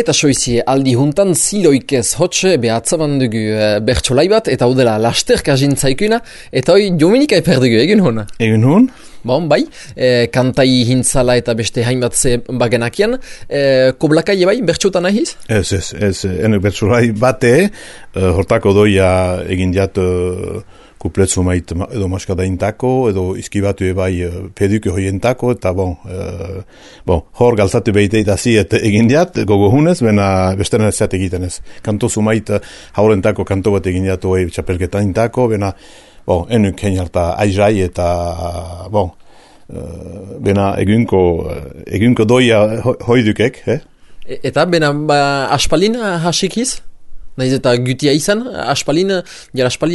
Eta soizie aldi juntan ziloikez hotxe behatzaban dugu bertsolai bat, eta hau dela lasterka jintzaikuna, eta hoi Dominika eper dugu, egin hon? Egin hon? Bon, bai, kantai hintzala eta beste hainbat ze bagenakian, koblakai bai, bertxotan nahiz? Ez, enuk bertsolai bate, hortako doia egin diat kupletzu mait edo maskada intako, edo izkibatu ebai peduke hoientako, eta hor galtzatu behite itazi egin diat, gogo hunez, bena besteren ez zat egiten ez. Kanto zumait haurentako kanto bat egin diatu txapelketa intako, bena enuk hein harta aizrai eta bena egunko doia hoidukek, Eta bena aspalin hasikiz? Naiz eta gutia izan, aspalia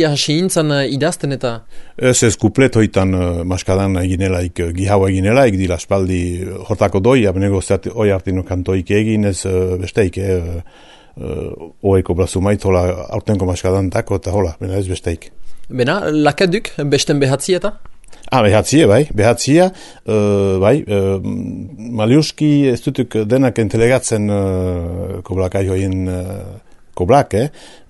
hasi intzan idazten eta... Ez kuplet hoitan maskadan eginelaik, gihaua eginelaik, dila aspaldi hortako doia, benego zeat oi hartino kantoik egin, ez besteik, oeko brazumait, hola, aurtenko maskadan tako, eta hola, bena ez besteik. Bena, lakaduk, besten behatzi eta? Behatzia, Maliuski ez dutuk denak entelegatzen koblakai hoien koblak,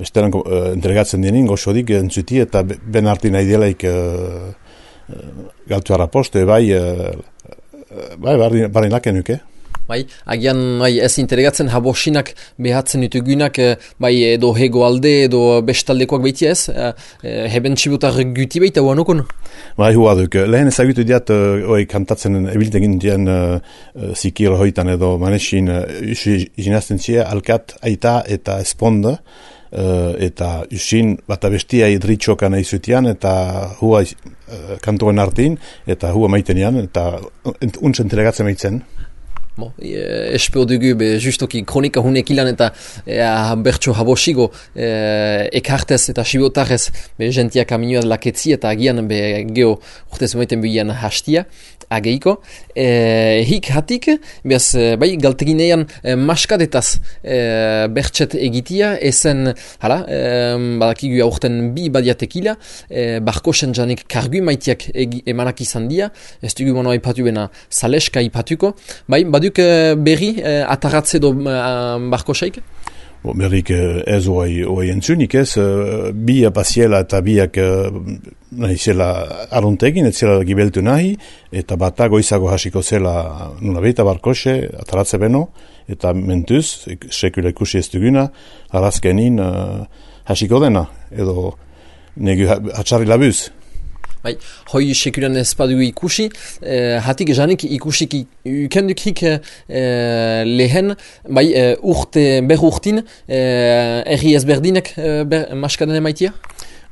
besteran entregatzen denin, goxodik entzuti eta ben harti nahi delaik galtu harraposte, barri lakenuk, Agian ez entregatzen habosinak behatzen ditugunak, edo hego alde, edo bestaldekoak behitia ez, heben txibutar guti behita huanukun? Huaduk, lehen ezagutu diat, kantatzen ebiltegin dien zikir hoitan edo manesin jinazten zia, alkat, aita eta esponda, eta usin bat abestia idritxokan aizutian, eta hua kantoen hartin, eta hua maitenian, eta untz entregatzen maitzen. Espeo dugu, justoki kronika hunek ilan eta bertso habosigo ekartez eta sibotarez jentia kaminoaz laketzi eta agian geho urtez umaiten bihian hastia ageiko. Hik hatik, galteginean maskadetaz bertset egitia, ezen, badakigu aurten bi badiatekila, barkosen janik kargu maitiak emanak izan dia, ez dugu mano aipatu bena saleska aipatuko, baduk berri ataratze do barkosaik? Berrik ez oai entzunik ez, bi apaziela eta biak nahi zela aruntegin, ez zela gibeltu nahi, eta bata goizago hasiko zela nuna beita barkose, ataratze beno, eta mentuz, sekula ikusi ez duguna, arazkenin hasiko dena, edo negu hatxarri labuz. Hoi sekulan ez badugu ikusi, hatik janik ikusik ukendukik lehen, urtin, erri ezberdinek maskaden emaitia?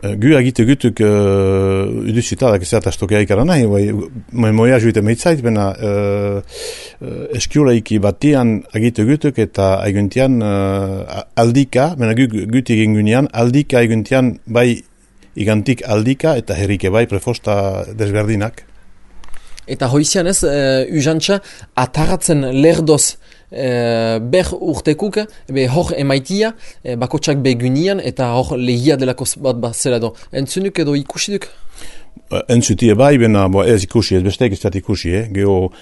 Gu agite gutuk udusitadak ezat astokea ikara nahi, moia juite meitzait, bena eskiulaiki batian agite gutuk eta aiguntian aldika, bena gut egin gunean, aldika aiguntian igantik aldika eta herrike prefosta desberdinak. Eta hoizian ez, uzantza ataratzen lerdoz ber urtekuk, hor emaitia, bakotsak begunian eta hor lehia delako bat zela do. Entzunuk edo ikusiduk? Entzutie bena ez ikusi, ez besteik ez dat ikusi, geho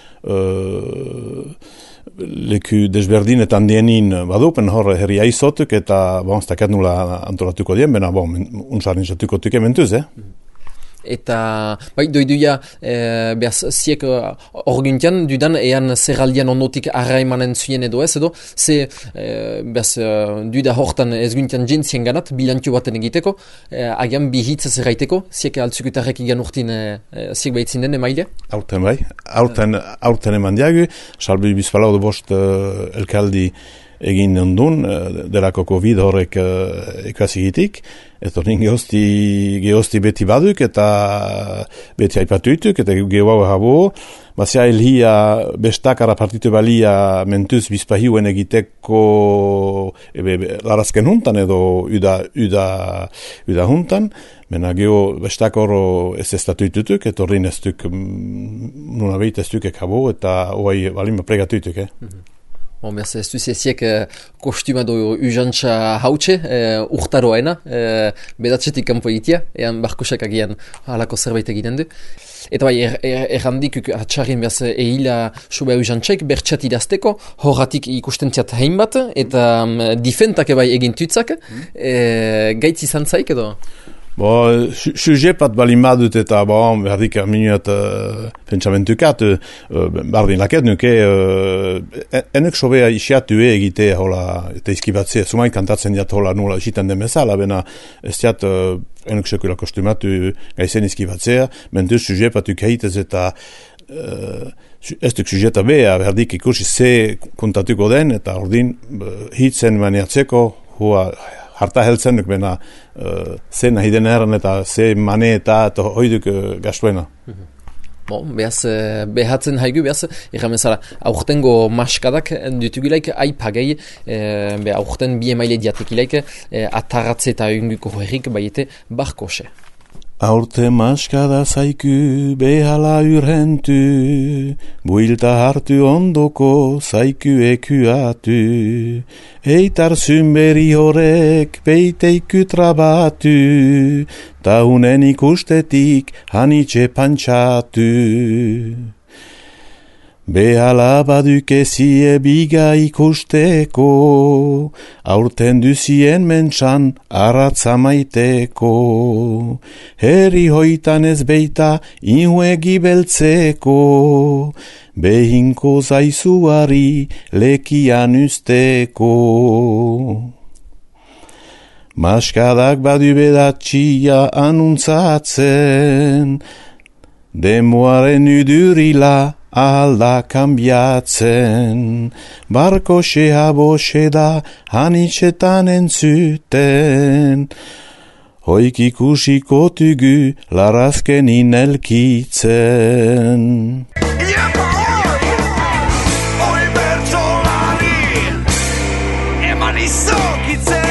leku desberdinetan dienin badupen hor herri aizotuk eta stakat nula antolatuko dien, bena unsarrin zatuko tuke mentuz, Eta, doiduia, behaz, ziek orguntian, dudan, ean zerraldian ondotik arraimanen zuien edo ez, edo, ze, behaz, duda hortan ezguntian jentzien ganat, bilantio baten egiteko, agian bihitz zerraiteko, ziek altzukutarrek igan urtin, ziek behitzin den, emaile? Aurten eman diagu, salbi bizpalau bost elkaldi egin ondun, delako COVID horrek ekazigitik, eta nin gehozti beti baduk, eta beti haipatuituk, eta gehoago habo, bazia elhia bestakara partitu balia mentuz bizpahiuen egiteko larazken huntan, edo uda huntan, mena geho bestakoro ez estatuitutuk, eta horrein ez duk, nuna behit ez dukek habo, eta hoai balima pregatuituk, Ez duziek kostuma do uzantza hautxe, urtaroaena, bedatzetik kanpo egitea, ean barkosak agian halako zerbait egiten du. Eta bai, errandik atxarrin behaz ehila sobe hau jantxek, bertxat idazteko, horratik ikustentziat hainbat, eta difentak bai egintutzak, gaitz izan zaik edo? Sujet bat balin badut eta berdik minuat pentsamentukat, bardin laket nuke, enek sobea isiatu egite hola, eta izkibatzea, sumai kantatzen diat hola nula isiten den bezala, bena ez diat enek sekula kostumatu gaizen izkibatzea, mentu sujet bat ukeitez eta ez duk sujeta beha, berdik ikusi ze kontatuko den, eta ordin hitzen maniatzeko, hua harta heltzen duk bena ze nahi den erran eta ze mane eta hoiduk gastuena. Behatzen haigu, erramezala, aurtengo maskadak dutugilaik aipagei, aurten bi emaile diatekilaik, atarratze eta egunguko herrik baiete barkose. Aurte maskada zaiku behala urrentu, builta hartu ondoko zaiku ekuatu, eitar zunberi horrek peiteiku trabatu, ta unen ikustetik hanitxe pantxatu. Behala badukezie biga ikusteko, aurten duzien mentxan arratza maiteko. Herri hoitan ez beita inhuegi beltzeko, behinko zaizuari lekian usteko. Maskadak badu bedatxia anuntzatzen, demoaren udurila alda kambiatzen, barko xehaboxe da hanitxetan entzuten, hoik ikusiko tugu larazken inelkitzen. Oi bertsolari, eman izokitzen.